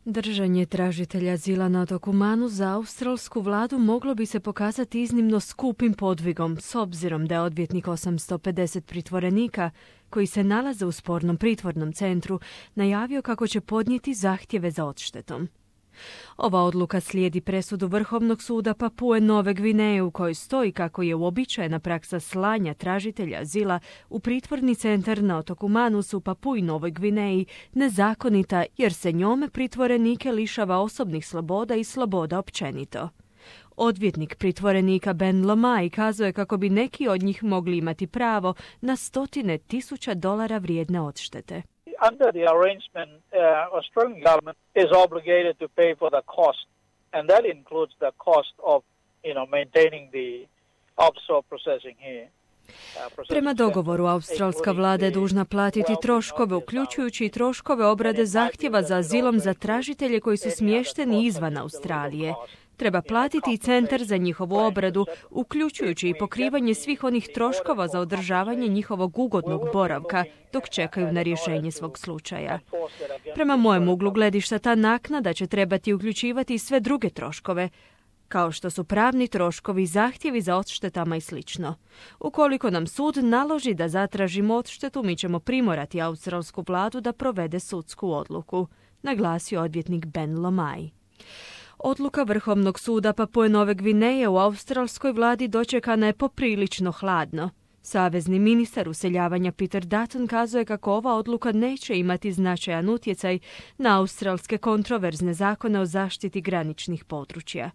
Držanje tražitelja azila na otoku Manu za australsku vladu moglo bi se pokazati iznimno skupim podvigom, s obzirom da je odvjetnik 850 pritvorenika, koji se nalaze u spornom pritvornom centru, najavio kako će podnijeti zahtjeve za odštetom. Ova odluka slijedi presudu Vrhovnog suda Papue Nove Gvineje u kojoj stoji kako je uobičajena praksa slanja tražitelja azila u pritvorni centar na otoku Manus u Papui Novoj Gvineji nezakonita jer se njome pritvorenike lišava osobnih sloboda i sloboda općenito. Odvjetnik pritvorenika Ben Lomai kazao je kako bi neki od njih mogli imati pravo na $100,000 vrijedne odštete. Under the arrangement, Australian government is obligated to pay for the cost, and that includes the cost of, maintaining the offshore processing here. Prema dogovoru, australska vlada je dužna platiti troškove, uključujući i troškove obrade zahtjeva za azilom za tražitelje koji su smješteni izvan Australije. Treba platiti i centar za njihovu obradu, uključujući i pokrivanje svih onih troškova za održavanje njihovog ugodnog boravka dok čekaju na rješenje svog slučaja. Prema mojem uglu gledišta, ta naknada će trebati uključivati i sve druge troškove, kao što su pravni troškovi, zahtjevi za odštetama i sl. Ukoliko nam sud naloži da zatražimo odštetu, mi ćemo primorati australsku vladu da provede sudsku odluku, naglasio odvjetnik Ben Lomai. Odluka Vrhovnog suda Papue Nove Gvineje u australskoj vladi dočekana je poprilično hladno. Savezni ministar useljavanja Peter Dutton kazao je kako ova odluka neće imati značajan utjecaj na australske kontroverzne zakone o zaštiti graničnih područja.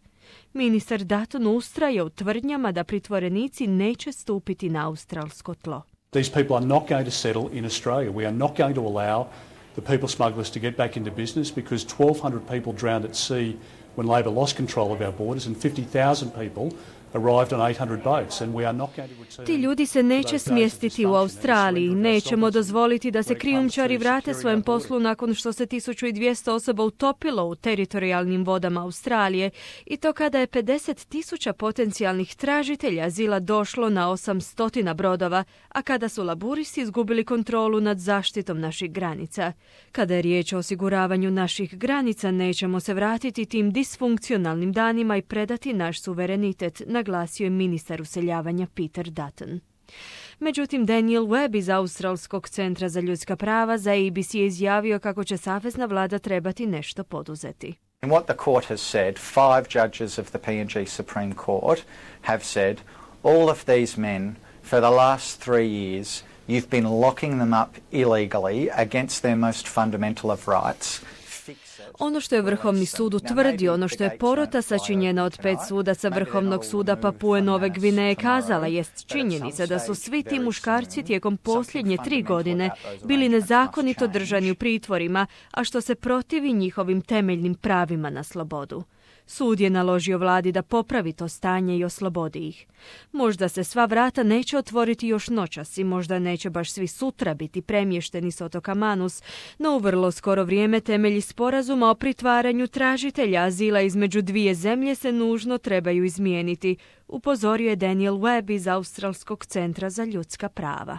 Ministar Dutton ustraje u tvrdnjama da pritvorenici neće stupiti na australsko tlo. These people are not going to settle in Australia. We are not going to allow the people smugglers to get back into business because 1,200 people drowned at sea when Labor lost control of our borders and 50,000 people arrived on 800 boats and we are not going to return. Ti ljudi se neće smjestiti u Australiji. Nećemo dozvoliti da se krijumčari vrate svojem poslu nakon što se 1200 osoba utopilo u teritorijalnim vodama Australije i to kada je 50,000 potencijalnih tražitelja azila došlo na 800 brodova, a kada su laburisti izgubili kontrolu nad zaštitom naših granica. Kada je riječ o osiguravanju naših granica, nećemo se vratiti tim disfunkcionalnim danima i predati naš suverenitet, naglasio je ministar useljavanja Peter Dutton. Međutim, Daniel Webb iz Australskog centra za ljudska prava za ABC je izjavio kako će savezna vlada trebati nešto poduzeti. And what the court has said, 5 judges of the PNG Supreme Court have said, all of these men for the last 3 years, you've been locking them up illegally against their most fundamental of rights. Ono što je Vrhovni sud utvrdio, ono što je porota sačinjena od 5 sudaca Vrhovnog suda Papue Nove Gvineje kazala, jest činjenica da su svi ti muškarci tijekom posljednje 3 godine bili nezakonito držani u pritvorima, a što se protivi njihovim temeljnim pravima na slobodu. Sud je naložio vladi da popravi to stanje i oslobodi ih. Možda se sva vrata neće otvoriti još noćas i možda neće baš svi sutra biti premješteni s otoka Manus, no u vrlo skoro vrijeme temelji sporazuma o pritvaranju tražitelja azila između dvije zemlje se nužno trebaju izmijeniti, upozorio je Daniel Webb iz Australskog centra za ljudska prava.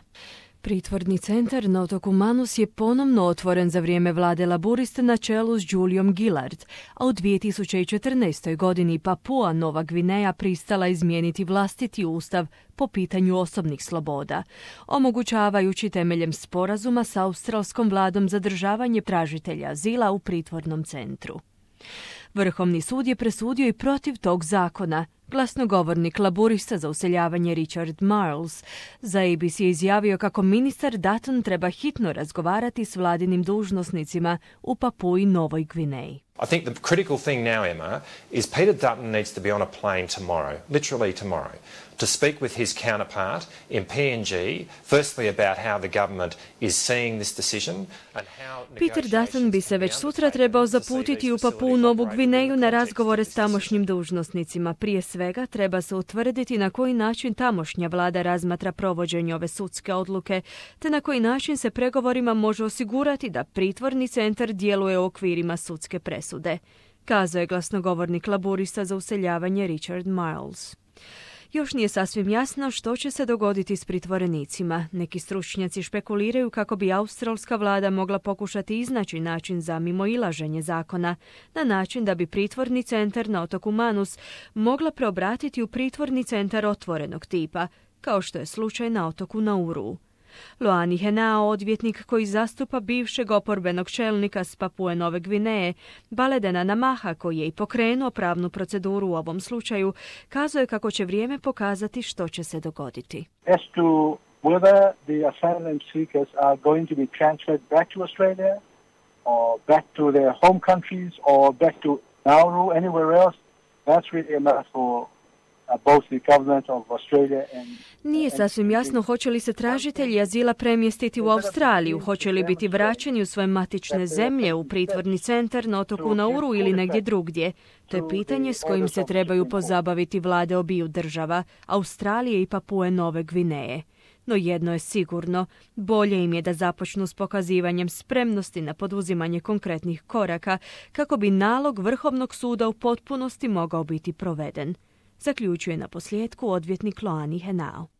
Pritvorni centar na otoku Manus je ponovno otvoren za vrijeme vlade laburista na čelu s Juliom Gillard, a u 2014. godini Papua Nova Gvineja pristala izmijeniti vlastiti ustav po pitanju osobnih sloboda, omogućavajući temeljem sporazuma s australskom vladom zadržavanje tražitelja azila u pritvornom centru. Vrhovni sud je presudio i protiv tog zakona. Glasnogovornik laburista za useljavanje Richard Marles za ABC je izjavio kako ministar Dutton treba hitno razgovarati s vladinim dužnosnicima u Papui Novoj Gvineji. I think the critical thing now, Emma, is Peter Dutton needs to be on a plane tomorrow, literally tomorrow, to speak with his counterpart in PNG, firstly about how the government is seeing this decision and how Peter Dutton bi se već sutra trebao zaputiti u Papuu Novu Gvineju na razgovore s tamošnjim dužnosnicima. Prije svega treba se utvrditi na koji način tamošnja vlada razmatra provođenje ove sudske odluke, te na koji način se pregovorima može osigurati da pritvorni centar djeluje u okvirima sudske presude, kazao je glasnogovornik laburista za useljavanje Richard Marles. Još nije sasvim jasno što će se dogoditi s pritvorenicima. Neki stručnjaci špekuliraju kako bi australska vlada mogla pokušati iznaći način za mimoilaženje zakona, na način da bi pritvorni centar na otoku Manus mogla preobratiti u pritvorni centar otvorenog tipa, kao što je slučaj na otoku Nauru. Loani Henao, odvjetnik koji zastupa bivšeg oporbenog čelnika s Papue Nove Gvineje, Baledena Namaha, koji je i pokrenuo pravnu proceduru u ovom slučaju, kazuje kako će vrijeme pokazati što će se dogoditi. As to whether the asylum seekers are going to be transferred back to Australia or back to their home countries or back to Nauru, anywhere else, that's really a matter for both the government of Australia and Nije sasvim jasno hoće li se tražitelji azila premjestiti u Australiju, hoće li biti vraćeni u svoje matične zemlje, u pritvorni centar na otoku Nauru ili negdje drugdje. To je pitanje s kojim se trebaju pozabaviti vlade obiju država, Australije i Papue Nove Gvineje. No jedno je sigurno, bolje im je da započnu s pokazivanjem spremnosti na poduzimanje konkretnih koraka kako bi nalog Vrhovnog suda u potpunosti mogao biti proveden, zaključuje na posljedku odvjetnik Loani Henao.